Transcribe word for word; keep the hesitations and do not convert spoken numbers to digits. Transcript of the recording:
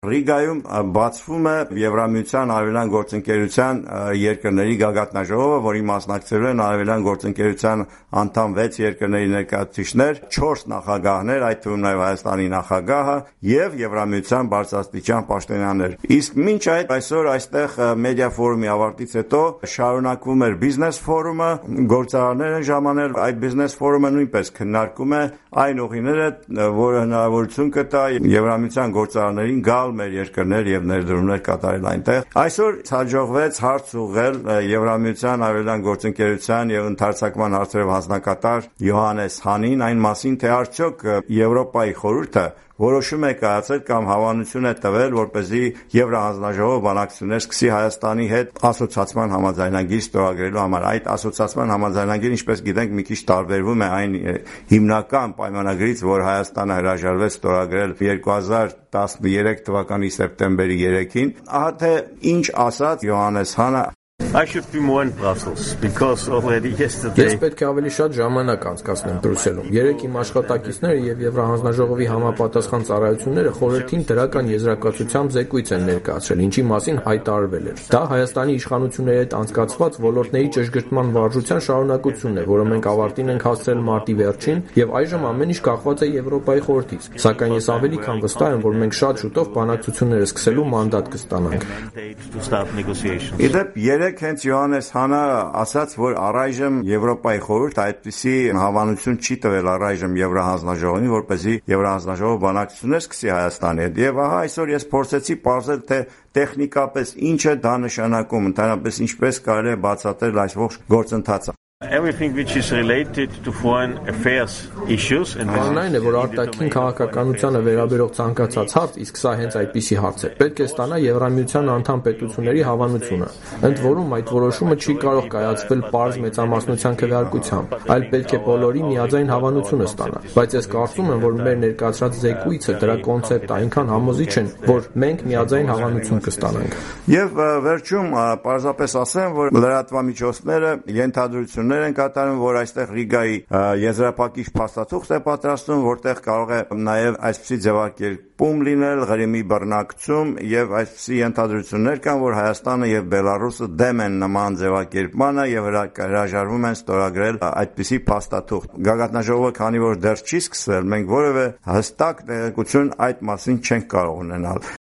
Ռիգայում բացվում է Եվրամիության Արևելյան գործընկերության երկրների գագաթնաժողովը, որի մասնակցելու են Արևելյան գործընկերության անդամ վեց երկրների ներկայացուցիչներ, չորս նախագահներ, այդ թվում նաև Հայաստանի նախագահը եւ Եվրամիության բարձրաստիճան պաշտոնյաներ։ Իսկ մինչ այդ այսօր այստեղ մեդիա ֆորումի ավարտից հետո շարունակվում էր բիզնես ֆորումը, գործարարներ են ժամանել, այդ բիզնես ֆորումը նույնպես քննարկում է այն ուղիները, որը հնարավորություն կտա Եվրամիության գործարարներին գալ մեր երկրներ եւ ներդրումներ կատարել այնտեղ։ Այսօր հաջողվեց հարց ուղղել Եվրամիության Արևելյան գործընկերության եւ ընդհանրացման հարցերով հանձնակատար Յոհաննես Հանին այն մասին, թե արդյոք Եվրոպայի խորհուրդը որոշում է կայացել կամ հավանություն է տվել, որպեսզի Եվրահանձնաժողովը բանակցություններ սկսի Հայաստանի հետ ասոցիացիան համաձայնագիր ստորագրելու համար։ Այդ ասոցիացիան համաձայնագիրը, ինչպես գիտենք, մի քիչ տարբերվում է այն հիմնական պայմանագրից, որ Հայաստանը հրաժարվեց ստորագրել երկու հազար տասներեք թվականի սեպտեմբերի երեքին։ Ահա թե ինչ ասաց Յոհաննես Հանը. I should be more in Brussels because already yesterday. Ես պետք է ավելի շատ ժամանակ անցկացնեմ Բրյուսելում։ Երեք իմ աշխատակիցները եւ Եվրահանձնաժողովի համապատասխան ծառայությունները խորհրդին դրական եզրակացությամբ զեկույց են ներկայացրել, ինչի մասին հայտարարվել էր։ Դա Հայաստանի իշխանությունների հետ անցկացված ոլորտների ճշգրտման վարժության շարունակությունն է, որը մենք ավարտին ենք հասցրել մարտի վերջին, եւ այժմ ամեն ինչ կախված է Եվրոպայի խորհրդից։ Սակայն ես ավելի քան վստահ եմ, որ մենք շատ շուտով բանակցությունները սկսելու մանդատ կստանանք։ Իդեպ երեք հենց Յոհաննես Հանը ասաց, որ առայժմ Եվրոպայի խորհուրդը այդպիսի հավանություն չի տվել առայժմ Եվրահանձնաժողովին, որպեսզի Եվրահանձնաժողովը բանակցություններ սկսի Հայաստանի հետ։ Եվ ահա այսօր ես փորձեցի պարզել, թե տեխնիկապես ինչ է դա նշանակում, ընդհանրապես ինչպես կարելի է բացատրել այս ողջ գործընթացը։ Everything which is related to foreign affairs issues and Անայն է, որ արտաքին քաղաքականությանը վերաբերող ցանկացած հարց, իսկ սա հենց այդպիսի հարց է, պետք է ստանա Եվրամիության անդամ պետությունների հավանությունը։ Ընդ որում այդ որոշումը չի կարող կայացվել պարզ մեծամասնության քվեարկությամբ, այլ պետք է բոլորի միաձայն հավանությունը ստանա։ Բայց ես կարծում եմ, որ մեր ներկայացրած զեկույցը դրա կոնցեպտը այնքան համոզիչ են, որ մենք միաձայն հավանություն կստանանք։ Եվ վերջում պարզապես ասեմ, որ լրատվամիջոցները ենթադրություն են կատարում, որ այստեղ Ռիգայի եզրափակիչ փաստաթուղթ է պատրաստում, որտեղ կարող է նաև այսպիսի ձևակերպում լինել, Ղրիմի բռնակցում եւ այսպիսի ենթադրություններ կան, որ Հայաստանը եւ Բելարուսը դեմ են նման ձևակերպմանը եւ հրաժարվում են ստորագրել այդպիսի փաստաթուղթ։ Գագաթնաժողովը, քանի որ դեռ չի սկսվել, մենք որևէ հստակ տեղեկություն այդ մասին չենք կարող ունենալ։